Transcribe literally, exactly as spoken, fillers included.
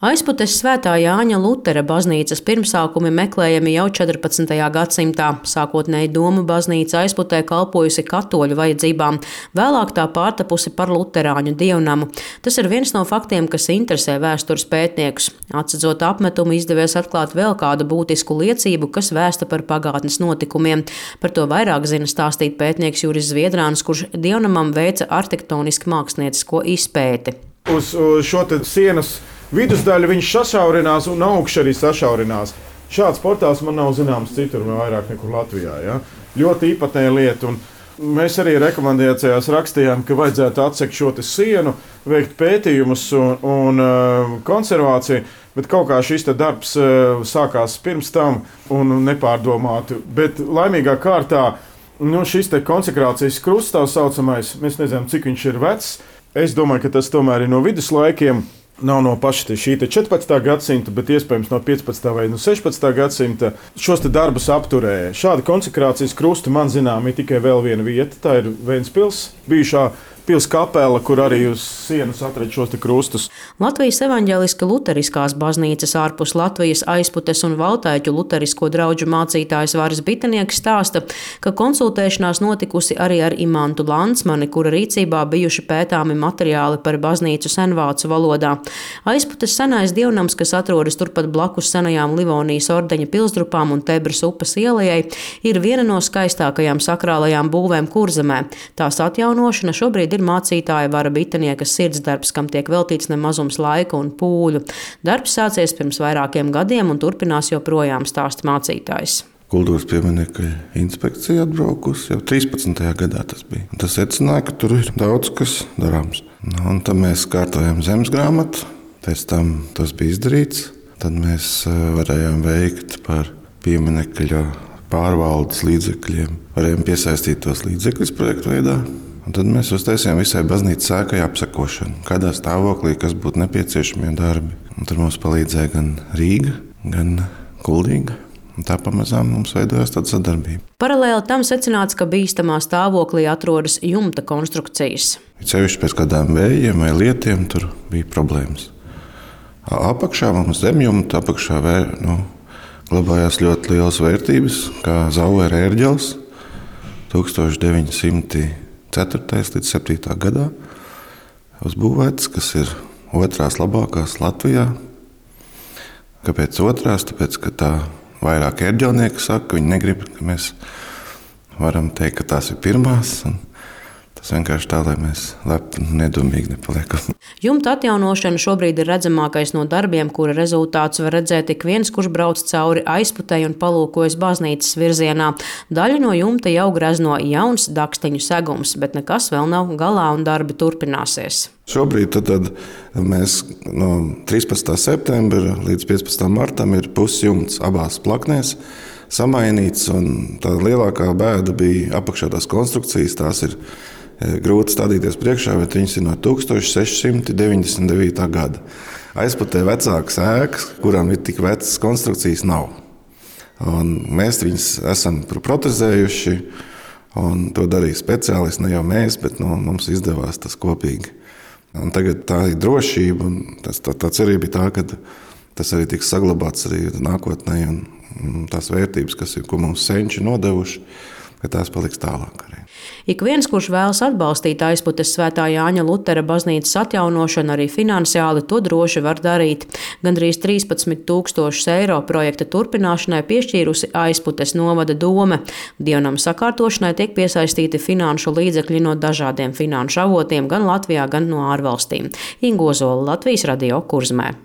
Aizputes Svētā Jāņa Lutera baznīcas pirmsākumi meklējami jau četrpadsmitajā gadsimtā. Sākotnēji Doma baznīca Aizputē kalpojusi katoļu vajadzībām, vēlāk tā pārtapusi par luterāņu dievnamu. Tas ir viens no faktiem, kas interesē vēstures pētniekus. Atsedzot apmetumu, izdevies atklāt vēl kādu būtisku liecību, kas vēsta par pagātnes notikumiem. Par to vairāk zina stāstīt pētnieks Juris Zviedrāns, kurš dievnamam veica arhitektoniski māksliniecisko izpēti. Uz šo te sienas vidusdaļu viņš sašaurinās un augšā arī sašaurinās. Šāds portāls man nav zināms citur, vairāk nekur Latvijā. Ja? Ļoti īpatnēja lieta. Un mēs arī rekomendācijās rakstījām, ka vajadzētu atsekt šo sienu, veikt pētījumus un, un uh, konservāciju, bet kaut kā šis darbs uh, sākās pirms tam un nepārdomāti. Bet laimīgā kārtā nu, šis konsekrācijas krusts, tā saucamais, mēs nezinām, cik viņš ir vecs. Es domāju, ka tas tomēr ir no viduslaikiem. Nav no paša šī četrpadsmitā gadsimta, bet iespējams no piecpadsmitā vai no sešpadsmitā gadsimta šos darbus apturēja. Šāda konsekrācijas krusta man zinām ir tikai vēl viena vieta. Tā ir Ventspils, bijušā pils kapela, kur arī uz sienas atrada šos krustus. Latvijas evaņģeliska luteriskās baznīcas ārpus Latvijas Aizputes un Valtaiķu luterisko draugu mācītājs Varis Bitenieks stāsta, ka konsultēšanās notikusi arī ar Imantu Landsmani, kura rīcībā bijuši pētāmi materiāli par baznīcu senvācu valodā. Aizputes senais dievnams, kas atrodas turpat blakus senajām Livonijas ordeņa pilsdrupām un Tebras upes ielai, ir viena no skaistākajām sakrālajām būvēm Kurzemē. Tās atjaunošana šobrīd ir mācītāja Vara Bitenieka sirdsdarbs, kam tiek veltīts nemazums laika un pūļu. Darbs sācies pirms vairākiem gadiem un turpinās joprojām, stāsta mācītājs. Kultūras pieminekļu inspekcija atbraukusi jau trīspadsmitajā gadā tas bija. Tas secināja, ka tur ir daudz kas darāms. Nu, un tad mēs kārtojam zemes grāmatu, pēc tam tas bija izdarīts. Tad mēs varējām veikt par pieminekļu pārvaldes līdzekļiem. Varējām piesaistīt tos līdzekļus projektu veidā. Un tad mēs uztaisījām visai baznīcas ēkai apsekošanu, kādā stāvoklī, kas būtu nepieciešamie darbi. Un tur mums palīdzēja gan Rīga, gan Kuldīga. Un tā pamazām mums veidojās tāda sadarbība. Paralēli tam secināts, ka bīstamā stāvoklī atrodas jumta konstrukcijas. Cevišķi pēc kādām vējiem vai lietiem tur bija problēmas. Apakšā mums zemjumta, apakšā vēr, nu, glabājās ļoti lielas vērtības, kā Zauera ērģeles tūkstoš deviņi simti ceturtajā līdz septītajā gadā uzbūvēts, kas ir otrās labākās Latvijā. Kāpēc otrās? Tāpēc, ka tā vairāk ērģelnieki saka, ka viņi negrib, ka mēs varam teikt, ka tās ir pirmās. Tas vienkārši tā, lai mēs lepni un nedomīgi nepaliekam. Jumta atjaunošana šobrīd ir redzamākais no darbiem, kura rezultātus var redzēt ik viens, kurš brauc cauri Aizputei un palūkojas baznīcas virzienā. Daļu no jumta jau grezno jauns daksteņu segums, bet nekas vēl nav galā un darbi turpināsies. Šobrīd tad, tad mēs no trīspadsmitā septembra līdz piecpadsmitajam martam ir pusjumts abās plaknēs samainīts, un tā lielākā bēda bija apakšā tās konstrukcijas. Tās ir grūti stādīties priekšā, bet viņas ir no tūkstoš seši simti deviņdesmit devītā gada. Aizputē vecākas ēkas, kurām ir tik vecas konstrukcijas, nav. Un mēs viņas esam protezējuši, un to darīja speciālisti, ne jau mēs, bet no, mums izdevās tas kopīgi. Un tagad tā ir drošība, un tas, tā, tā cerība ir tā, ka tas arī tiks saglabāts arī nākotnē, un tās vērtības, kas ir, ko mums senči nodevuši, ka tās paliks tālāk arī. Ik viens, kurš vēlas atbalstīt Aizputes Svētā Jāņa Lutera baznīcas atjaunošanu arī finansiāli, to droši var darīt. Gandrīz trīspadsmit tūkstošus eiro projekta turpināšanai piešķīrusi Aizputes novada dome. Dievnama sakārtošanai tiek piesaistīti finanšu līdzekļi no dažādiem finanšu avotiem gan Latvijā, gan no ārvalstīm. Inga Ozola, Latvijas radio, Kurzemē.